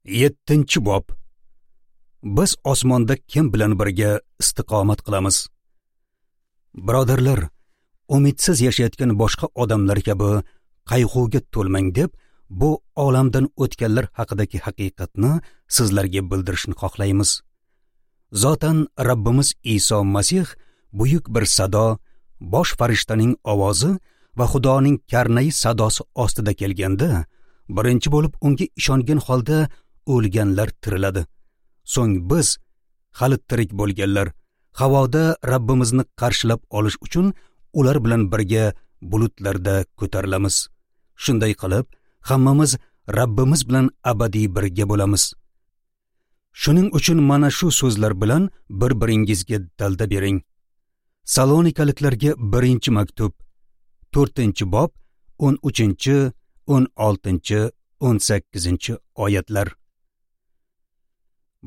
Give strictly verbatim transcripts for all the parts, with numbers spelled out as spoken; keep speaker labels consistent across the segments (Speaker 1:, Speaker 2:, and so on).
Speaker 1: Yettinchi bob. Biz osmonda kim bilan birga istiqomat qilamiz? Birodarlar, umidsiz yashayotgan boshqa odamlar kabi qayg'uga to'lmang deb bu olamdan o'tganlar haqidagi haqiqatni sizlarga bildirishni xohlaymiz. Zotan Rabbimiz Iso Masih buyuk bir sado, bosh farishtaning ovozi va Xudoning karnayi sadosi ostida kelganda, birinchi bo'lib unga ishongan holda o'lganlar tiriladi. So'ng biz, hali tirik bo'lganlar, havoda Rabbimizni qarshilab olish uchun ular bilan birga bulutlarda ko'tarilamiz. Shunday qilib, hammamiz Rabbimiz bilan abadiy birga bo'lamiz. Shuning uchun mana shu so'zlar bilan bir-biringizga dalda bering. Salonikaliklarga birinchi maktub, to'rtinchi bob, o'n uchinchi, o'n oltinchi, o'n sakkizinchi oyatlar.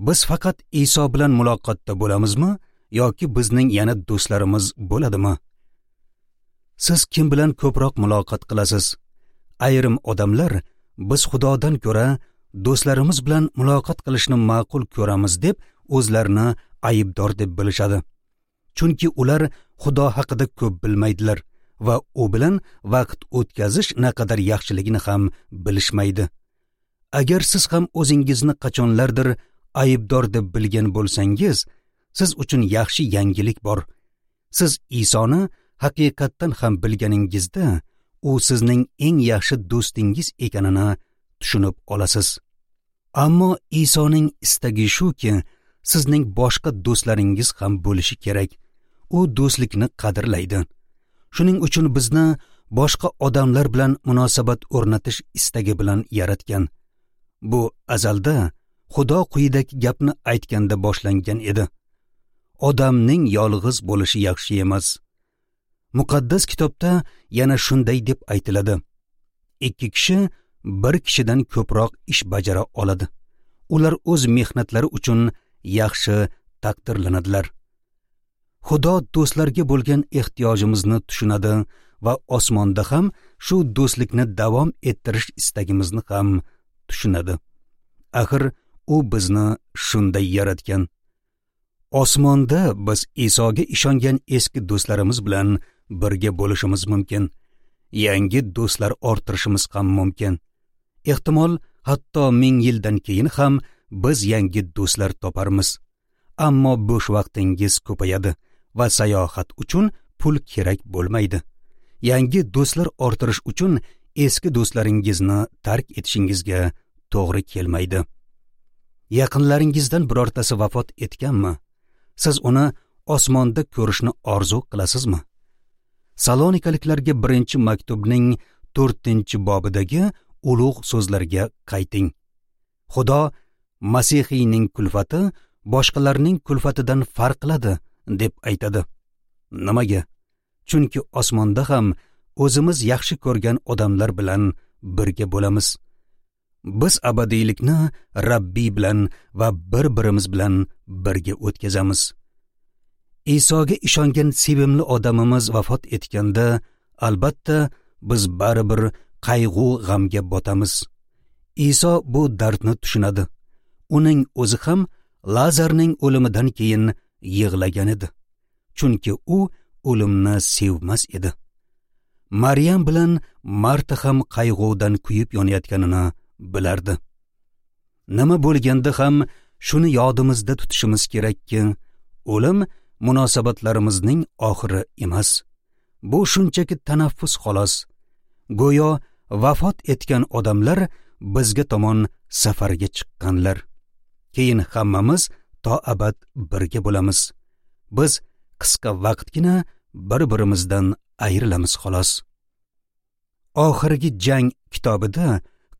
Speaker 1: Biz faqat Iso bilan muloqotda bo'lamizmi yoki bizning yana do'stlarimiz bo'ladimi? Siz kim bilan ko'proq muloqot qilasiz? Ayrim odamlar biz Xudodan ko'ra do'stlarimiz bilan muloqot qilishni ma'qul ko'ramiz deb o'zlarini aybdor deb bilishadi. Chunki ular Xudo haqida ko'p bilmaydilar va u bilan vaqt o'tkazish naqadar yaxshiligini ham bilishmaydi. Agar siz ham o'zingizni qachonlardir aybdor deb bilgan bo'lsangiz, siz uchun yaxshi yangilik bor. Siz Isoni haqiqatdan ham bilganingizda, u sizning eng yaxshi do'stingiz ekanini tushunib olasiz. Ammo Isoning istagi shuki, sizning boshqa do'stlaringiz ham bo'lishi kerak. U do'stlikni qadrlaydi. Shuning uchun bizni boshqa odamlar bilan munosabat o'rnatish istagi bilan yaratgan. Bu azalda Xudo quyidagi gapni aytganda boshlangan edi. Odamning yolg'iz bo'lishi yaxshi emas. Muqaddas kitobda yana shunday deb aytiladi. Ikki kishi bir kishidan ko'proq ish bajara oladi. Ular o'z mehnatlari uchun yaxshi taqdirlanadilar. Xudo do'stlarga bo'lgan ehtiyojimizni tushunadi va osmonda ham shu do'stlikni davom ettirish istagimizni ham tushunadi. Axir u bizni shunday yaratgan. Osmonda biz Isoga ishongan eski do'stlarimiz bilan birga bo'lishimiz mumkin. Yangi do'stlar orttirishimiz ham mumkin. Ehtimol, hatto ming yildan keyin ham biz yangi do'stlar toparmiz. Ammo bo'sh vaqtingiz ko'payadi va sayohat uchun pul kerak bo'lmaydi. Yangi do'stlar orttirish uchun eski do'stlaringizni tark etishingizga to'g'ri kelmaydi. Yaqinlaringizdan birortasi vafot etganmi? Siz uni osmonda ko'rishni orzu qilasizmi? Salonikaliklarga birinchi maktubning to'rtinchi bobidagi ulug' so'zlarga qayting. Xudo Masihiyning kulfati boshqalarning kulfatidan farq qiladi deb aytadi. Nimaga? Chunki osmonda ham o'zimiz yaxshi ko'rgan odamlar bilan birga bo'lamiz. Biz abadiylikni Rabbiy bilan va bir-birimiz bilan birga o'tkazamiz. Isoga ishongan sevimli odamimiz vafot etganda, albatta biz baribir qayg'u g'amga botamiz. Iso bu dardni tushunadi. Uning o'zi ham Lazarning o'limidan keyin yig'lagan edi. Chunki u o'limni sevmas edi. Maryam bilan Marta ham qayg'udan kuyib yonayotganini bilardi. Nima bo'lganda ham shuni yodimizda tutishimiz kerakki, o'lim munosabatlarimizning oxiri emas. Bu shunchaki tanaffus xolos. Go'yo vafot etgan odamlar bizga tomon safarga chiqqanlar. Keyin hammamiz to abad birga bo'lamiz. Biz qisqa vaqtgina bir-birimizdan ayrilamiz xolos. Oxirgi jang kitobida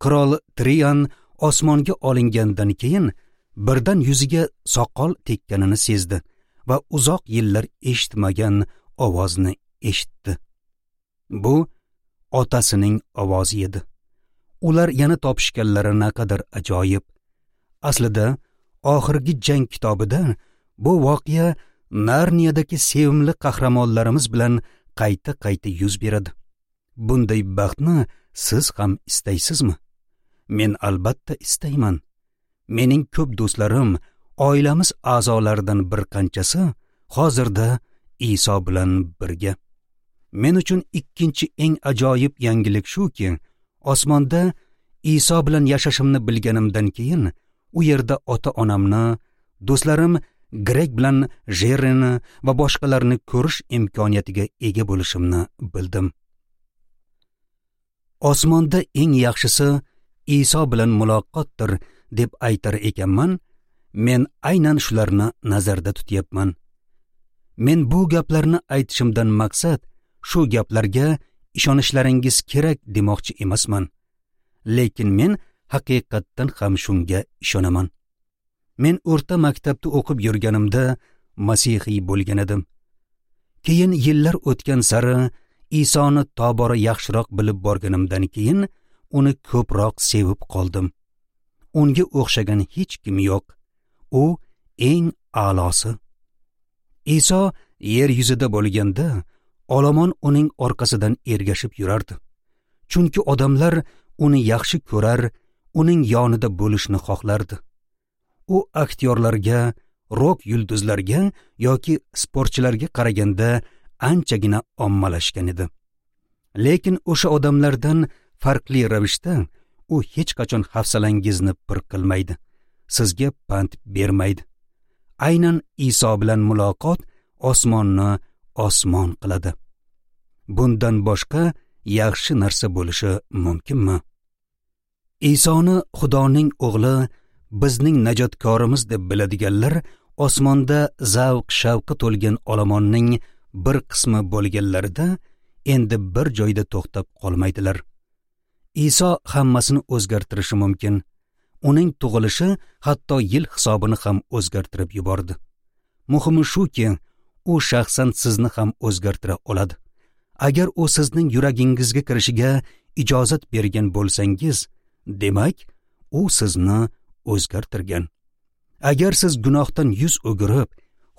Speaker 1: qirol Trian osmonga olingandan keyin birdan yuziga soqol tekkanini sezdi va uzoq yillar eshitmagan ovozni eshitdi. Bu otasining ovozi edi. Ular yana topishganlari naqadar ajoyib. Aslida oxirgi jang kitobida bu voqea Narniyadagi sevimli qahramonlarimiz bilan qayta-qayta yuz beradi. Bunday baxtni siz ham istaysizmi? Men albatta istayman. Mening ko'p do'stlarim, oilamiz a'zolaridan bir qanchasi hozirda Iso bilan birga. Men uchun ikkinchi eng ajoyib yangilik shuki, osmonda Iso bilan yashashimni bilganimdan keyin u yerda ota-onamni, do'stlarim Greg bilan Jerrini va boshqalarni ko'rish imkoniyatiga ega bo'lishimni bildim. Osmonda eng yaxshisi Iso bilan muloqotdir deb aytar ekanman, men aynan shularni nazarda tutyapman. Men bu gaplarni aytishimdan maqsad shu gaplarga ishonishlaringiz kerak demoqchi emasman. Lekin men haqiqatdan ham shunga ishonaman. Men o'rta maktabda o'qib yurganimda masihiy bo'lgan edim. Keyin yillar o'tgan sari Isoni tobora yaxshiroq bilib borganimdan keyin uni ko'proq sevib qoldim. Unga o'xshagan hech kim yo'q. U eng a'losi. Iso yer yuzida bo'lganda olomon uning orqasidan ergashib yurardi. Chunki odamlar uni yaxshi ko'rar, uning yonida bo'lishni xohlardi. U aktyorlarga, rok yulduzlarga yoki sportchilarga qaraganda anchagina ommalashgan edi. Lekin o'sha odamlardan farqli ravishda u hech qachon hafsalangizni pir qilmaydi, sizga pand bermaydi. Aynan Iso bilan muloqot osmonni osmon qiladi. Bundan boshqa yaxshi narsa bo'lishi mumkinmi? Isoni Xudoning o'g'li, bizning najotkorimiz deb biladiganlar osmonda zavq-shavqi to'lgan olomonning bir qismi bo'lganlarida endi bir joyda to'xtab qolmaydilar. Iso hammasini o'zgartirishi mumkin. Uning tug'ilishi hatto yil hisobini ham o'zgartirib yubordi. Muhimi shuki, u shaxsan sizni ham o'zgartira oladi. Agar u sizning yuragingizga kirishiga ijozat bergan bo'lsangiz, demak, u sizni o'zgartirgan. Agar siz gunohdan yuz o'girib,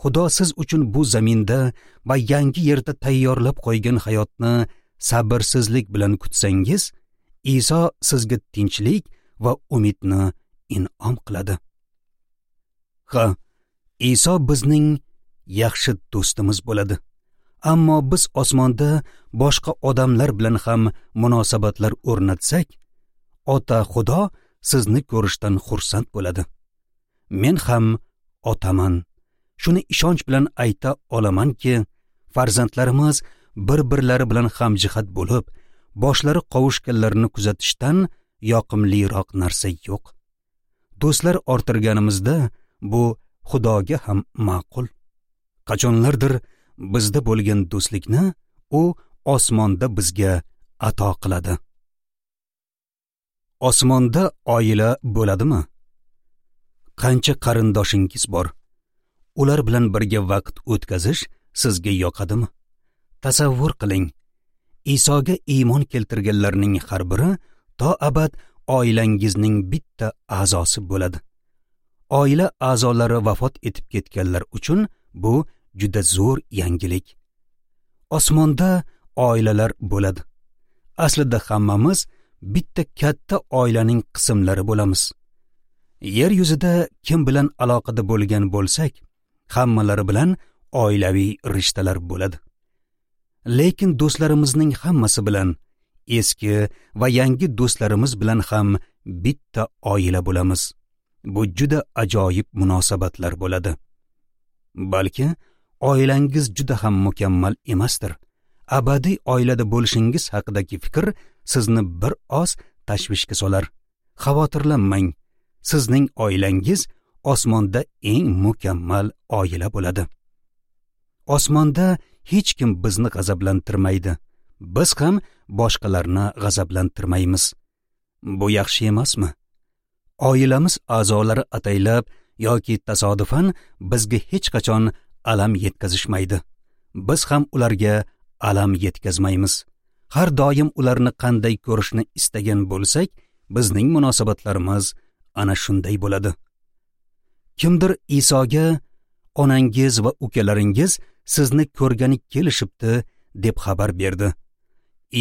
Speaker 1: Xudo siz uchun bu zaminda va yangi yerda tayyorlab qo'ygan hayotni sabrsizlik bilan kutsangiz, Iso sizga tinchlik va umidni in'om qiladi. Ha, Iso bizning yaxshi do'stimiz bo'ladi. Ammo biz osmonda boshqa odamlar bilan ham munosabatlar o'rnatsak, Ota Xudo sizni ko'rishdan xursand bo'ladi. Men ham otaman. Shuni ishonch bilan ayta olamanki, farzandlarimiz bir-birlari bilan hamjihat bo'lib, boshlari qovushganlarini kuzatishdan yoqimliroq narsa yo'q. Do'stlar orttirganimizda bu Xudoga ham ma'qul. Qachonlardir bizda bo'lgan do'stlikni u osmonda bizga ato qiladi. Osmonda oila bo'ladimi? Qancha qarindoshingiz bor? Ular bilan birga vaqt o'tkazish sizga yoqadimi? Tasavvur qiling. Isoga iymon keltirganlarning har biri to abad oilangizning bitta a'zosi bo'ladi. Oila a'zolari vafot etib ketganlar uchun bu juda zo'r yangilik. Osmonda oilalar bo'ladi. Aslida hammamiz bitta katta oilaning qismlari bo'lamiz. Yer yuzida kim bilan aloqada bo'lgan bo'lsak, hammalari bilan oilaviy rishtalar bo'ladi. Lekin do'stlarimizning hammasi bilan, eski va yangi do'stlarimiz bilan ham bitta oila bo'lamiz. Bu juda ajoyib munosabatlar bo'ladi. Balki oilangiz juda ham mukammal emasdir. Abadiy oilada bo'lishingiz haqidagi fikr sizni bir oz tashvishga solar. Xavotirlanmang. Sizning oilangiz osmonda eng mukammal oila bo'ladi. Osmonda hech kim bizni g'azablantirmaydi. Biz ham boshqalarni g'azablantirmaymiz. Bu yaxshi emasmi? Oilamiz a'zolari ataylab yoki tasodifan bizga hech qachon alam yetkazishmaydi. Biz ham ularga alam yetkazmaymiz. Har doim ularni qanday ko'rishni istagan bo'lsak, bizning munosabatlarimiz ana shunday bo'ladi. Kimdir Isoga onangiz va ukalaringiz sizni ko'rgani kelishibdi deb xabar berdi.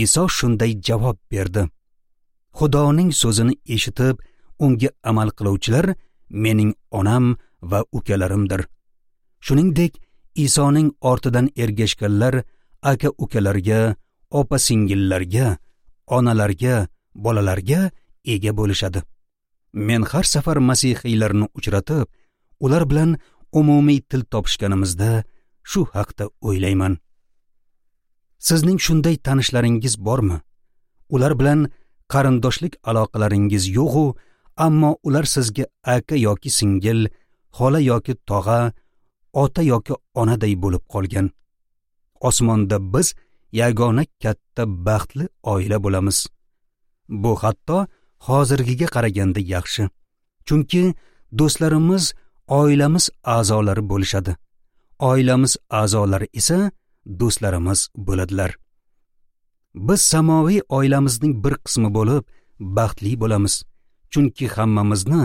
Speaker 1: Iso shunday javob berdi: Xudoning so'zini eshitib, unga amal qiluvchilar mening onam va ukalarimdir. Shuningdek, Isoning ortidan ergashganlar aka-ukalarga, opa-singillarga, onalarga, bolalarga ega bo'lishadi. Men har safar masihiylarni uchratib, ular bilan umumiy til topishganimizda shu haqda o'ylayman. Sizning shunday tanishlaringiz bormi? Ular bilan qarindoshlik aloqalaringiz yo'q-u, ammo ular sizga aka yoki singil, xola yoki tog'a, ota yoki onaday bo'lib qolgan. Osmonda biz yagona katta baxtli oila bo'lamiz. Bu hatto hozirgiga qaraganda yaxshi. Chunki do'stlarimiz oilamiz a'zolari bo'lishadi. Oilamiz a'zolari esa do'stlarimiz bo'ladilar. Biz samoviy oilamizning bir qismi bo'lib baxtli bo'lamiz. Chunki hammamizni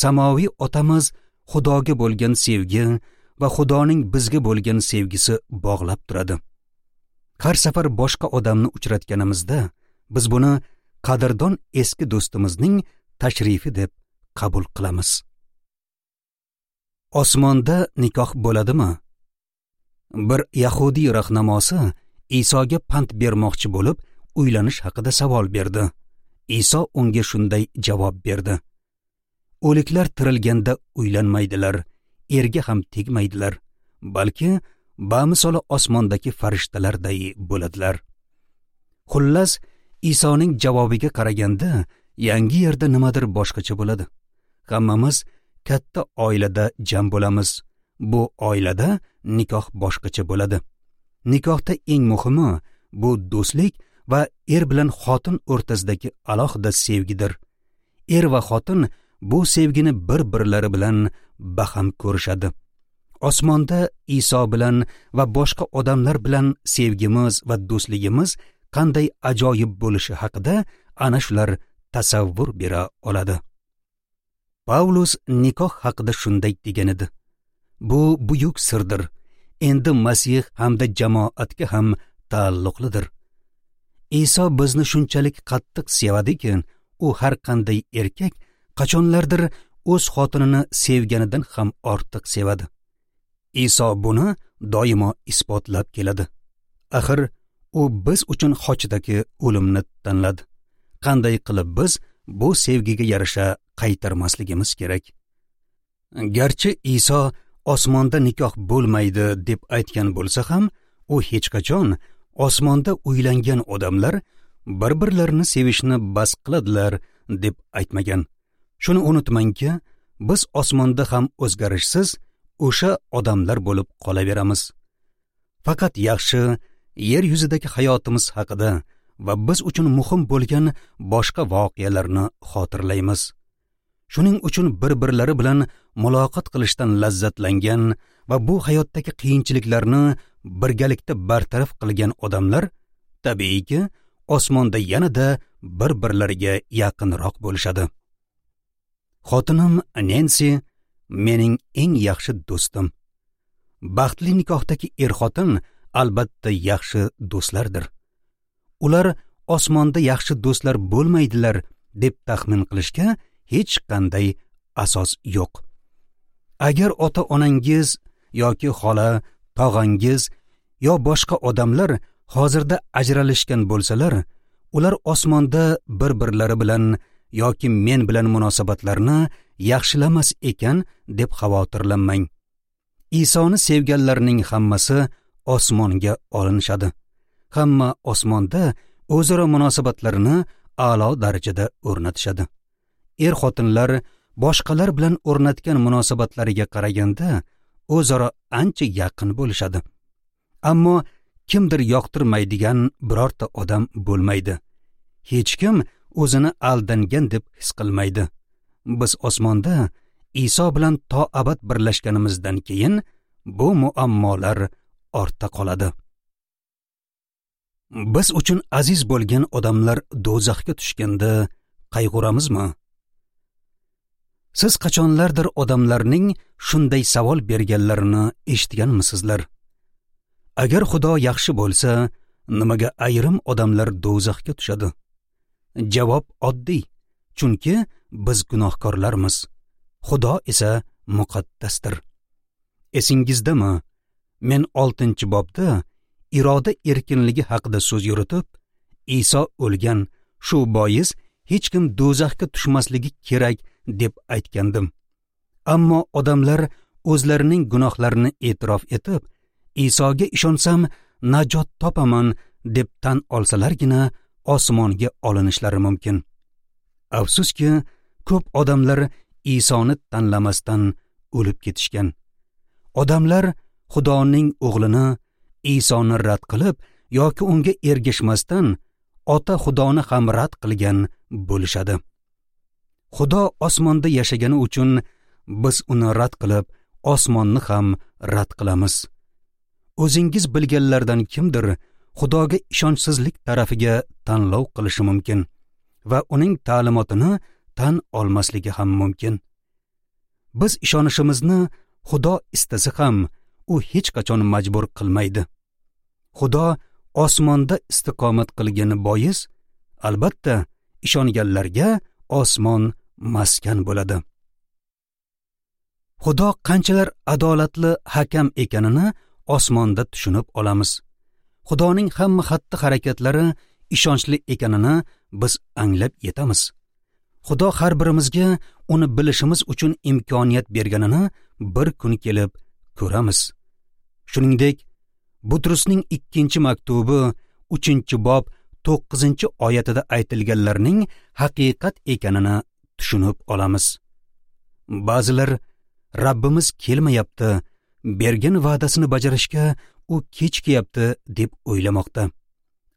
Speaker 1: samoviy otamiz Xudoga bo'lgan sevgi va Xudoning bizga bo'lgan sevgisi bog'lab turadi. Har safar boshqa odamni uchratganimizda biz buni qadrdon eski do'stimizning tashrifi deb qabul qilamiz. Osmonda nikoh bo'ladimi? Bir yahudiy rahnamosi Isoga pand bermoqchi bo'lib, uylanish haqida savol berdi. Iso unga shunday javob berdi: O'liklar tirilganda uylanmaydilar, erga ham tegmaydilar, balki bamisoli osmondagi farishtalarday bo'ladilar. Xullas, Isoning javobiga qaraganda yangi yerda nimadir boshqacha bo'ladi. Hammamiz katta oilada jam bo'lamiz. Bu oilada nikoh boshqacha bo'ladi. Nikohda eng muhimi bu do'stlik va er bilan xotin o'rtasidagi alohida sevgidir. Er va xotin bu sevgini bir-birlari bilan baham ko'rishadi. Osmonda Iso bilan va boshqa odamlar bilan sevgimiz va do'stligimiz qanday ajoyib bo'lishi haqida ana shular tasavvur bera oladi. Pavlus nikoh haqida shunday degan edi: Bu buyuk sirdir. Endi Masih hamda jamoatga ham taalluqlidir. Iso bizni shunchalik qattiq sevadiki, u har qanday erkak qachonlardir o'z xotinini sevganidan ham ortiq sevadi. Iso buni doimo isbotlab keladi. Axir u biz uchun xochdagi o'limni tanladi. Qanday qilib biz bu sevgiga yarasha qaytarmasligimiz kerak? Garchi Iso osmonda nikoh bo'lmaydi deb aytgan bo'lsa ham, u hech qachon osmonda uylangan odamlar bir-birlarini sevishni bas qiladilar deb aytmagan. Shuni unutmangki, biz osmonda ham o'zgarishsiz o'sha odamlar bo'lib qolaveramiz. Faqat yaxshi yer yuzidagi hayotimiz haqida va biz uchun muhim bo'lgan boshqa voqealarni xotirlaymiz. Shuning uchun bir-birlari bilan muloqot qilishdan lazzatlangan va bu hayotdagi qiyinchiliklarni birgalikda bartaraf qilgan odamlar tabiiyki osmonda yanada bir-birlariga yaqinroq bo'lishadi. Xotinim Nensi mening eng yaxshi do'stim. Baxtli nikohdagi er-xotin albatta yaxshi do'stlardir. Ular osmonda yaxshi do'stlar bo'lmaydilar deb taxmin qilishga hech qanday asos yo'q. Agar ota-onangiz yoki xola, tog'angiz yo boshqa odamlar hozirda ajralishgan bo'lsalar, ular osmonda bir-birlari bilan yoki men bilan munosabatlarni yaxshilamas ekan deb xavotirlanmang. Isoni sevganlarning hammasi osmonga olinishadi. Hamma osmonda o'zaro munosabatlarini a'lo darajada o'rnatishadi. Er-xotinlar boshqalar bilan o'rnatgan munosabatlariga qaraganda o'zaro ancha yaqin bo'lishadi. Ammo kimdir yoqtirmaydigan birorta odam bo'lmaydi. Hech kim o'zini aldangan deb his qilmaydi. Biz osmonda Iso bilan to abad birlashganimizdan keyin bu muammolar ortda qoladi. Biz uchun aziz bo'lgan odamlar do'zaxga tushganda qayg'uramizmi? Siz qachonlardir odamlarning shunday savol berganlarini eshitganmisizlar? Agar Xudo yaxshi bo'lsa, nimaga ayrim odamlar do'zaxga tushadi? Javob oddiy, chunki biz gunohkorlarmiz. Xudo esa muqaddasdir. Esingizdami? Men oltinchi bobda iroda erkinligi haqida so'z yuritib, Iso o'lgan, shu bois hech kim do'zaxga tushmasligi kerak deb aytgandim. Ammo odamlar o'zlarining gunohlarini e'tirof etib, Isoga ishonsam najot topaman deb tan olsalargina osmonga olinishlari mumkin. Afsuski, ko'p odamlar Isoni tanlamasdan o'lib ketishgan. Odamlar Xudoning o'g'lini Isoni rad qilib yoki unga ergashmasdan Ota Xudoni ham rad qilgan bo'lishadi. Xudo osmonda yashagani uchun biz uni rad qilib, osmonni ham rad qilamiz. O'zingiz bilganlardan kimdir Xudoga ishonchsizlik tarafiga tanlov qilishi mumkin va uning ta'limotini tan olmasligi ham mumkin. Biz ishonishimizni Xudo istasa ham u hech qachon majbur qilmaydi. Xudo osmonda istiqomat qilgani bois, albatta ishonganlarga osmon maskan bo'ladi. Xudo qanchalar adolatli hakam ekanini osmonda tushunib olamiz. Xudoning hamma xatti-harakatlari ishonchli ekanini biz anglab yetamiz. Xudo har birimizga uni bilishimiz uchun imkoniyat berganini bir kun kelib ko'ramiz. Shuningdek, Butrusning ikkinchi maktubi uchinchi bob to'qqizinchi oyatida aytilganlarning haqiqat ekanini tushunib olamiz. Ba'zilar Rabbimiz kelmayapti, bergan va'dasini bajarishga u kechikyapti deb o'ylamoqda.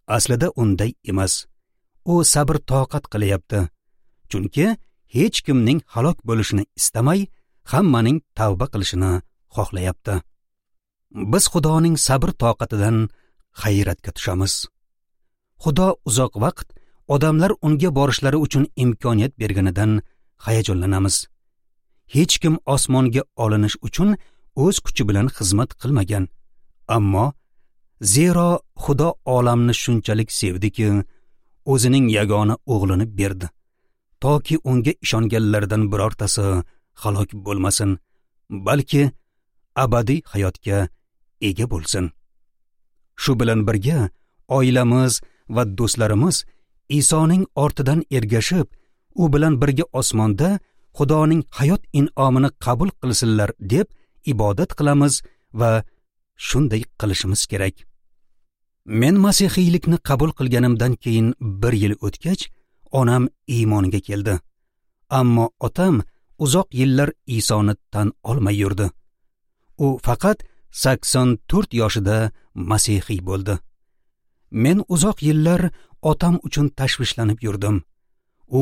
Speaker 1: Aslida unday emas. U sabr toqat qilyapti. Chunki hech kimning halok bo'lishini istamay, hammaning tavba qilishini xohlayapti. Biz Xudoning sabr toqatidan hayratga tushamiz. Xudo uzoq vaqt odamlar unga borishlari uchun imkoniyat berganidan hayajonlanamiz. Hech kim osmonga olinish uchun o'z kuchi bilan xizmat qilmagan. Ammo zero Xudo olamni shunchalik sevdiki, o'zining yagona o'g'lini berdi, toki unga ishonganlardan birortasi halok bo'lmasin, balki abadiy hayotga ega bo'lsin. Shu bilan birga oilamiz va do'stlarimiz Isoning ortidan ergashib, u bilan birga osmonda Xudoning hayot in'omini qabul qilsinlar deb ibodat qilamiz va shunday qilishimiz kerak. Men masihiylikni qabul qilganimdan keyin bir yil o'tgach, onam iymonga keldi. Ammo otam uzoq yillar Isoni tan olmay yurdi. U faqat sakson to'rt yoshida masihiy bo'ldi. Men uzoq yillar otam uchun tashvishlanib yurdim. U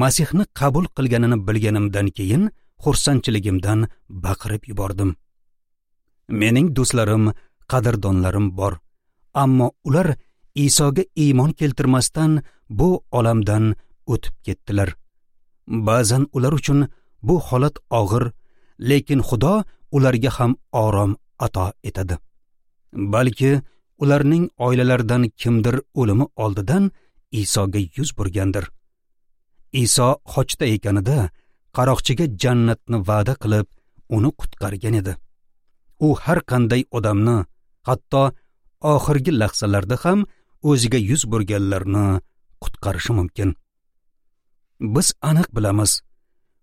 Speaker 1: Masihni qabul qilganini bilganimdan keyin xursandchiligimdan baqirib yubordim. Mening do'stlarim, qadrdonlarim bor, ammo ular Isoga iymon keltirmasdan bu olamdan o'tib ketdilar. Ba'zan ular uchun bu holat og'ir, lekin Xudo ularga ham orom ato etadi. Balki ularning oilalaridan kimdir o'limi oldidan Isoga yuz burgandir. Iso xochda ekanida qaroqchiga jannatni va'da qilib, uni qutqargan edi. U har qanday odamni, hatto oxirgi lahzalarda ham o'ziga yuz burganlarni qutqarishi mumkin. Biz aniq bilamiz,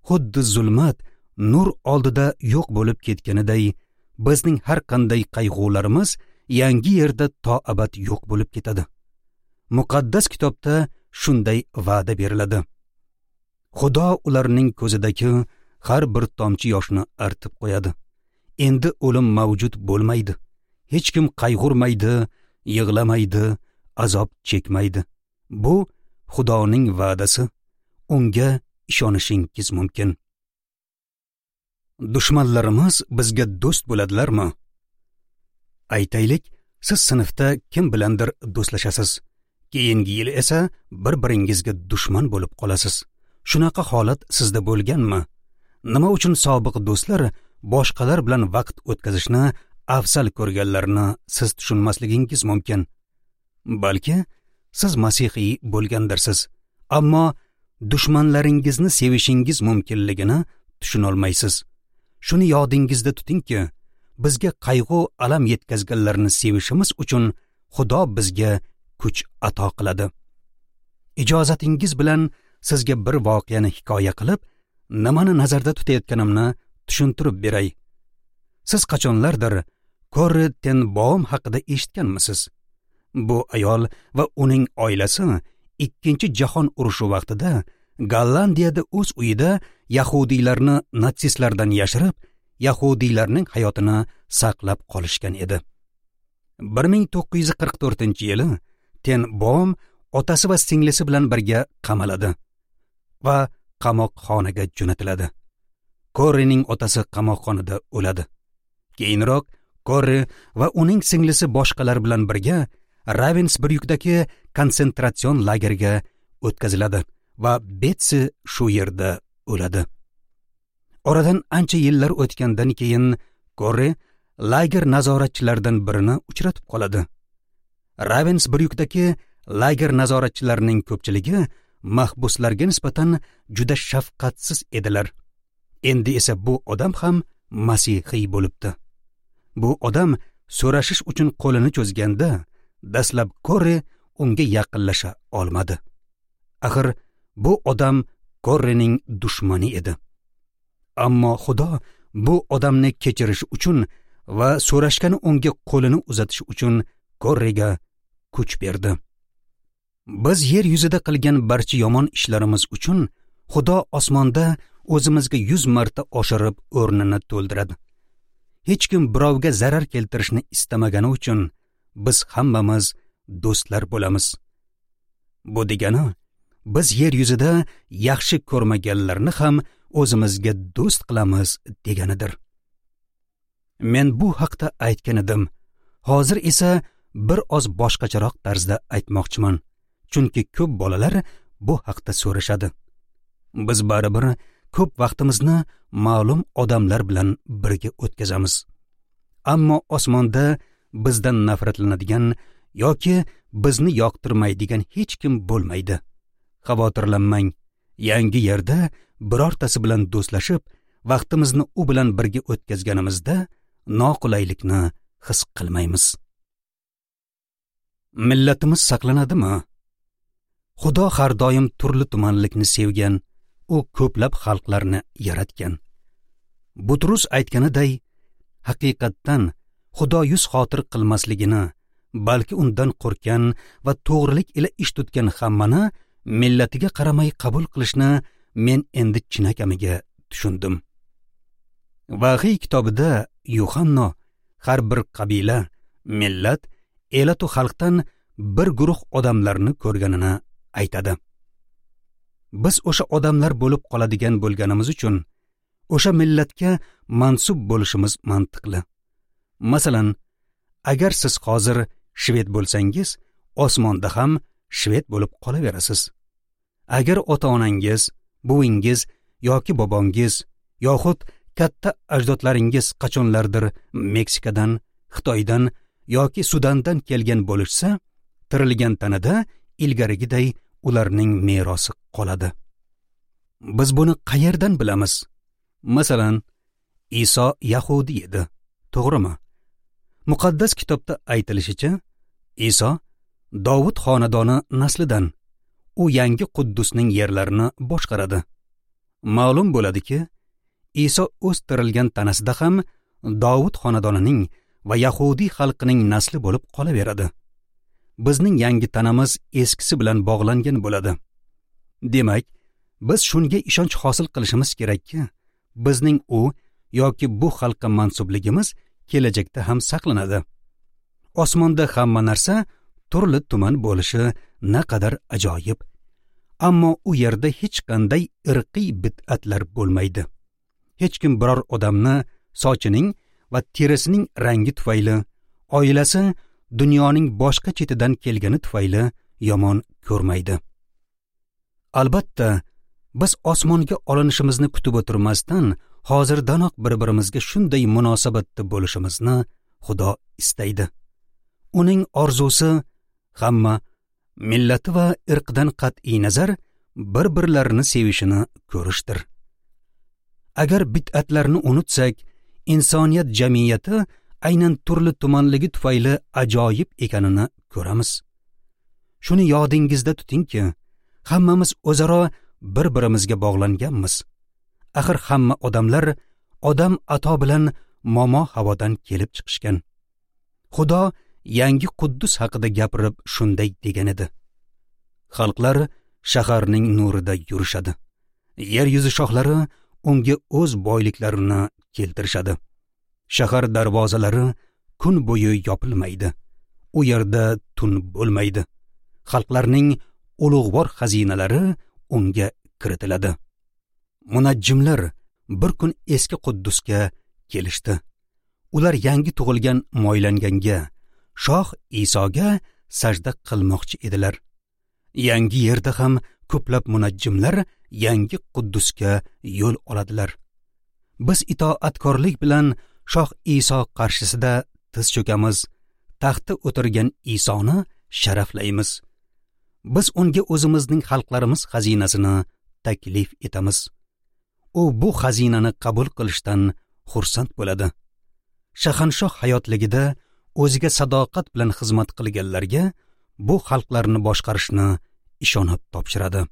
Speaker 1: xuddi zulmat nur oldida yo'q bo'lib ketganiday, bizning har qanday qayg'ularimiz yangi yerda to abad yo'q bo'lib ketadi. Muqaddas kitobda shunday va'da beriladi. Xudo ularning ko'zidagi har bir tomchi yoshni artib qo'yadi. Endi o'lim mavjud bo'lmaydi. Hech kim qayg'urmaydi, yig'lamaydi, azob chekmaydi. Bu Xudoning va'dasi. Unga ishonishingiz mumkin. Dushmanlarimiz bizga do'st bo'ladilarmi? Aytaylik, siz sinfda kim bilandir do'stlashasiz. Keyingi yil esa bir-biringizga dushman bo'lib qolasiz. Shunaqa holat sizda bo'lganmi? Nima uchun sobiq do'stlar boshqalar bilan vaqt o'tkazishni afzal ko'rganlarini siz tushunmasligingiz mumkin. Balki siz masihiy bo'lgandirsiz, ammo dushmanlaringizni sevishingiz mumkinligini tushunolmaysiz. Shuni yodingizda tutingki, bizga qayg'u alam yetkazganlarni sevishimiz uchun Xudo bizga kuch ato qiladi. Ijozatingiz bilan sizga bir voqeani hikoya qilib, nimani nazarda tutayotganimni tushuntirib beray. Siz qachonlardir Korri ten Boom haqida eshitganmisiz? Bu ayol va uning oilasi Ikkinchi jahon urushi vaqtida Gollandiyada o'z uyida yahudiylarni natsistlardan yashirib, yahudiylarning hayotini saqlab qolishgan edi. bir ming to'qqiz yuz qirq to'rtinchi yili Ten Boom otasi va singlisi bilan birga qamaladi va qamoqxonaga jo'natiladi. Korrining otasi qamoqxonada o'ladi. Keyinroq Korri va uning singlisi boshqalar bilan birga Ravensbryukdagi konsentratsion lageriga o'tkaziladi va Betsi shu yerda o'ladi. Oradan ancha yillar o'tgandan keyin Korri lager nazoratchilaridan birini uchratib qoladi. Ravensbryukdagi lager nazoratchilarining ko'pchiligi mahbuslarga nisbatan juda shafqatsiz edilar. Endi esa bu odam ham masihiy bo'libdi. Bu odam so'rashish uchun qo'lini cho'zganda dastlab Korri unga yaqinlasha olmadi. Axir bu odam Korrining dushmani edi. Ammo Xudo bu odamni kechirish uchun va so'rashgani unga qo'lini uzatish uchun Korriga kuch berdi. Biz yer yuzida qilgan barcha yomon ishlarimiz uchun Xudo osmonda o'zimizga yuz marta oshirib o'rnini to'ldiradi. Hech kim birovga zarar keltirishni istamagani uchun biz hammamiz do'stlar bo'lamiz. Bu degani, biz yer yuzida yaxshi ko'rmaganlarni ham o'zimizga do'st qilamiz deganidir. Men bu haqda aytgan edim. Hozir esa bir oz boshqacharoq tarzda aytmoqchiman. Chunki ko'p bolalar bu haqda so'rashadi. Biz baribir ko'p vaqtimizni ma'lum odamlar bilan birga o'tkazamiz. Ammo osmonda bizdan nafratlanadigan yoki bizni yoqtirmaydigan hech kim bo'lmaydi. Xavotirlanmang. Yangi yerda birortasi bilan do'stlashib, vaqtimizni u bilan birga o'tkazganimizda noqulaylikni his qilmaymiz. Millatimiz saqlanadimi? Xudo har doim turli tumanlikni sevgan, u ko'plab xalqlarni yaratgan. Butrus aytganiday, haqiqatdan Xudo yuz xotir qilmasligini, balki undan qo'rqgan va to'g'rilik ila ish tutgan hammani millatiga qaramay qabul qilishni men endi chinakamiga tushundim. Vahiy kitobida Yuhanno har bir qabila, millat, elatu xalqdan bir guruh odamlarni ko'rganini aytadi. Biz o'sha odamlar bo'lib qoladigan bo'lganimiz uchun o'sha millatga mansub bo'lishimiz mantiqli. Masalan, agar siz hozir shved bo'lsangiz, osmonda ham shved bo'lib qolaverasiz. Agar ota-onangiz, buvingiz yoki bobongiz yoxud katta ajdodlaringiz qachonlardir Meksikadan, Xitoydan yoki Sudandan kelgan bo'lishsa, tirilgan tanada ilgarigiday ularning merosi qoladi. Biz buni qayerdan bilamiz? Masalan, Iso yahudi edi, to'g'rimi? Muqaddas kitobda aytilishicha, Iso Dovud xonadoni naslidan. U yangi Quddusning yerlarini boshqaradi. Ma'lum bo'ladiki, Iso o'z tirilgan tanasida ham Dovud xonadonining va yahudiy xalqining nasli bo'lib qolaveradi. Bizning yangi tanamiz eskisi bilan bog'langan bo'ladi. Demak, biz shunga ishonch hosil qilishimiz kerakki, bizning u yoki bu xalqqa mansubligimiz kelajakda ham saqlanadi. Osmonda hamma narsa turli tuman bo'lishi naqadar ajoyib. Ammo u yerda hech qanday irqiy bid'atlar bo'lmaydi. Hech kim biror odamni sochining va terisining rangi tufayli, oilasi dunyoning boshqa chetidan kelgani tufayli yomon ko'rmaydi. Albatta, biz osmonga olinishimizni kutib o'tirmasdan, hozirdanoq bir-birimizga shunday munosabatda bo'lishimizni Xudo istaydi. Uning orzusi hamma millati va irqidan qat'iy nazar bir-birlarini sevishini ko'rishdir. Agar bid'atlarni unutsak, insoniyat jamiyati aynan turli tumanligi tufayli ajoyib ekanini ko'ramiz. Shuni yodingizda tutingki, hammamiz o'zaro bir-birimizga bog'langanmiz. Axir hamma odamlar Odam ato bilan Momo Havodan kelib chiqishgan. Xudo yangi Quddus haqida gapirib shunday degan edi: Xalqlar shaharning nurida yurishadi. Yer yuzi shohlari unga o'z boyliklarini keltirishadi. Shahar darvozalari kun bo'yi yopilmaydi. U yerda tun bo'lmaydi. Xalqlarning ulug'vor xazinalari unga kiritiladi. Munajjimlar bir kun eski Quddusga kelishdi. Ular yangi tug'ilgan moylanganga, Shoh Isoga sajda qilmoqchi edilar. Yangi yerda ham ko'plab munajjimlar yangi Quddusga yo'l oladilar. Biz itoatkorlik bilan Shoh Iso qarshisida tiz cho'kamiz, taxtda o'tirgan Isoni sharaflaymiz. Biz unga o'zimizning xalqlarimiz xazinasini taklif etamiz. U bu xazinani qabul qilishdan xursand bo'ladi. Shahanshoh hayotligida o'ziga sadoqat bilan xizmat qilganlarga bu xalqlarni boshqarishni ishonib topshiradi.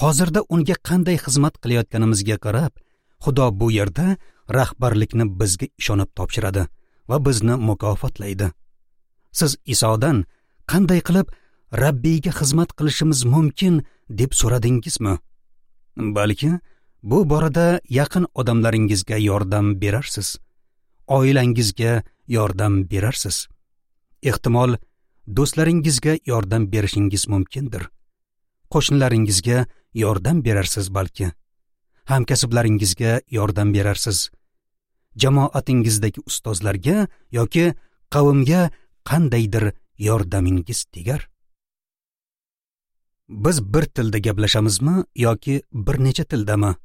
Speaker 1: Hozirda unga qanday xizmat qilayotganimizga qarab, Xudo bu yerda rahbarlikni bizga ishonib topshiradi va bizni mukofotlaydi. Siz Isodan qanday qilib Rabbiyga xizmat qilishimiz mumkin deb so'radingizmi? Balki bu borada yaqin odamlaringizga yordam berarsiz, oilangizga yordam berarsiz. Ehtimol do'stlaringizga yordam berishingiz mumkindir. Qo'shnilaringizga yordam berarsiz balki. Hamkasblaringizga yordam berarsiz. Jamoatingizdagi ustozlarga yoki qavmga qandaydir yordamingiz tegar. Biz bir tilda gaplashamizmi yoki bir necha tildami?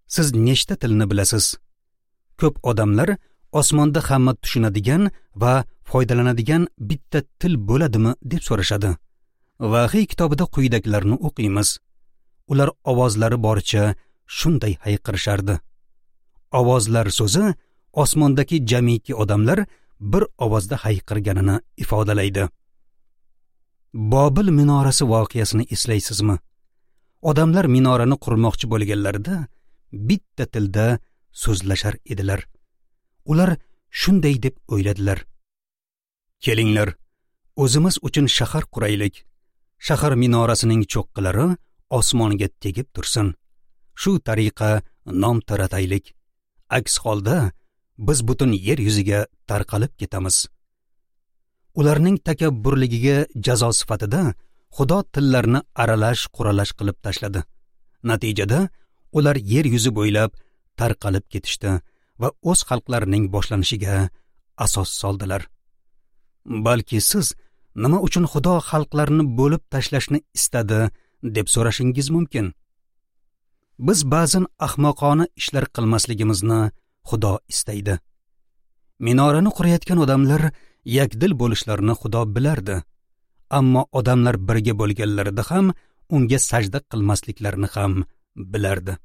Speaker 1: Siz nechta tilni bilasiz? Ko'p odamlar osmonda hamma tushunadigan va foydalanadigan bitta til bo'ladimi deb so'rashadi. Vahiy kitobida quyidagilarni o'qiymiz. Ular ovozlari boricha shunday hayqirishardi. Ovozlar so'zi osmondagi jamiki odamlar bir ovozda hayqirganini ifodalaydi. Bobil minorasi voqeasini eslaysizmi? Odamlar minorani qurmoqchi bo'lganlarida bitta tilda so'zlashar edilar. Ular shunday deb o'yladilar: Kelinglar, o'zimiz uchun shahar quraylik. Shahar minorasining cho'qqilari osmonga tegib tursin. Shu tariqa nom tarataylik. Aks holda biz butun yer yuziga tarqalib ketamiz. Ularning takabburligiga jazo sifatida Xudo tillarni aralash quralash qilib tashladi. Natijada ular yer yuzi bo'ylab tarqalib ketishdi va o'z xalqlarining boshlanishiga asos soldilar. Balki siz nima uchun Xudo xalqlarni bo'lib tashlashni istadi deb so'rashingiz mumkin. Biz ba'zan ahmoqona ishlar qilmasligimizni Xudo istaydi. Minorani qurayotgan odamlar yakdil bo'lishlarini Xudo bilardi. Ammo odamlar birga bo'lganlarida ham unga sajda qilmasliklarini ham bilardi.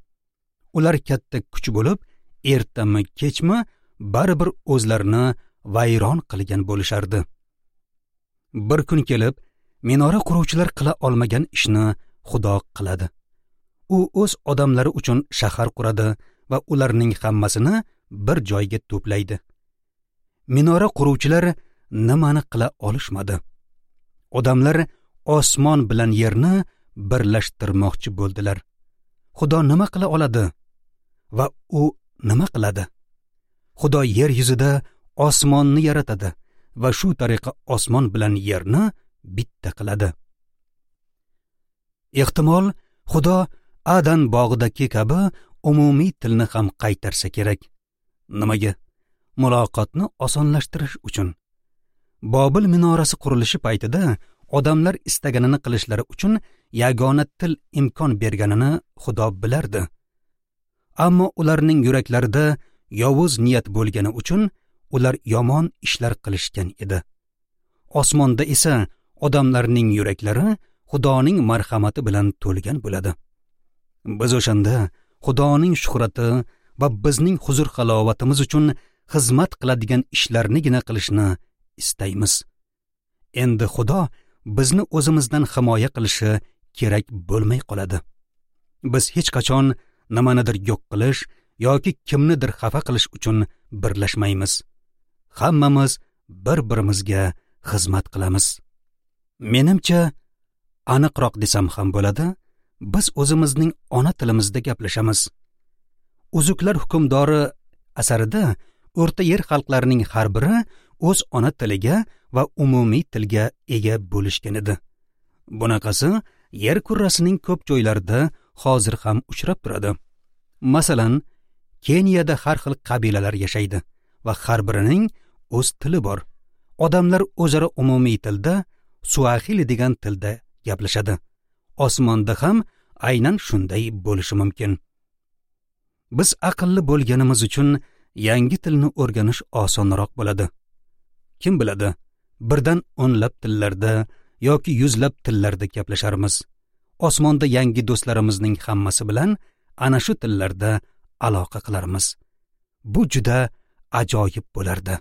Speaker 1: Ular katta kuch bo'lib, ertami kechmi baribir o'zlarini vayron qilgan bo'lishardi. Bir kun kelib, minora quruvchilar qila olmagan ishni Xudo qiladi. U o'z odamlari uchun shahar quradi va ularning hammasini bir joyga to'playdi. Minora quruvchilar nimani qila olishmadi? Odamlar osmon bilan yerni birlashtirmoqchi bo'ldilar. Xudo nima qila oladi va u nima qiladi? Xudo yer yuzida osmonni yaratadi va shu tariqa osmon bilan yerni bitta qiladi. Ehtimol Xudo Adan bog'idagi kabi umumiy tilni ham qaytarsa kerak. Nimaga? Muloqotni osonlashtirish uchun. Bobil minorasi qurilishi paytida odamlar istaganini qilishlari uchun yagona til imkon berganini Xudo bilardi. Ammo ularning yuraklarida yovuz niyat bo'lgani uchun ular yomon ishlar qilishgan edi. Osmonda esa odamlarning yuraklari Xudoning marhamati bilan to'lgan bo'ladi. Biz o'shanda Xudoning shuhrati va bizning huzur-halovatimiz uchun xizmat qiladigan ishlarnigina qilishni istaymiz. Endi Xudo bizni o'zimizdan himoya qilishi kerak bo'lmay qoladi. Biz hech qachon nimanidir yo'q qilish yoki kimnidir xafa qilish uchun birlashmaymiz. Hammamiz bir-birimizga xizmat qilamiz. Menimcha, aniqroq desam ham bo'ladi, biz o'zimizning ona tilimizda gaplashamiz. Uzuklar hukmdori asarida O'rta Yer xalqlarining har biri o'z ona tiliga va umumiy tilga ega bo'lishgan edi. Bunaqasi yer kurrasining ko'p joylarida hozir ham uchrab turadi. Masalan, Keniyada har xil qabilalar yashaydi va har birining o'z tili bor. Odamlar o'zaro umumiy tilda, suahili degan tilda gaplashadi. Osmonda ham aynan shunday bo'lishi mumkin. Biz aqlli bo'lganimiz uchun yangi tilni o'rganish osonroq bo'ladi. Kim biladi, birdan o'nlab tillarda yoki yuzlab tillarda gaplasharmiz. Osmonda yangi do'stlarimizning hammasi bilan ana shu tillarda aloqa qilarmiz. Bu juda ajoyib bo'lardi.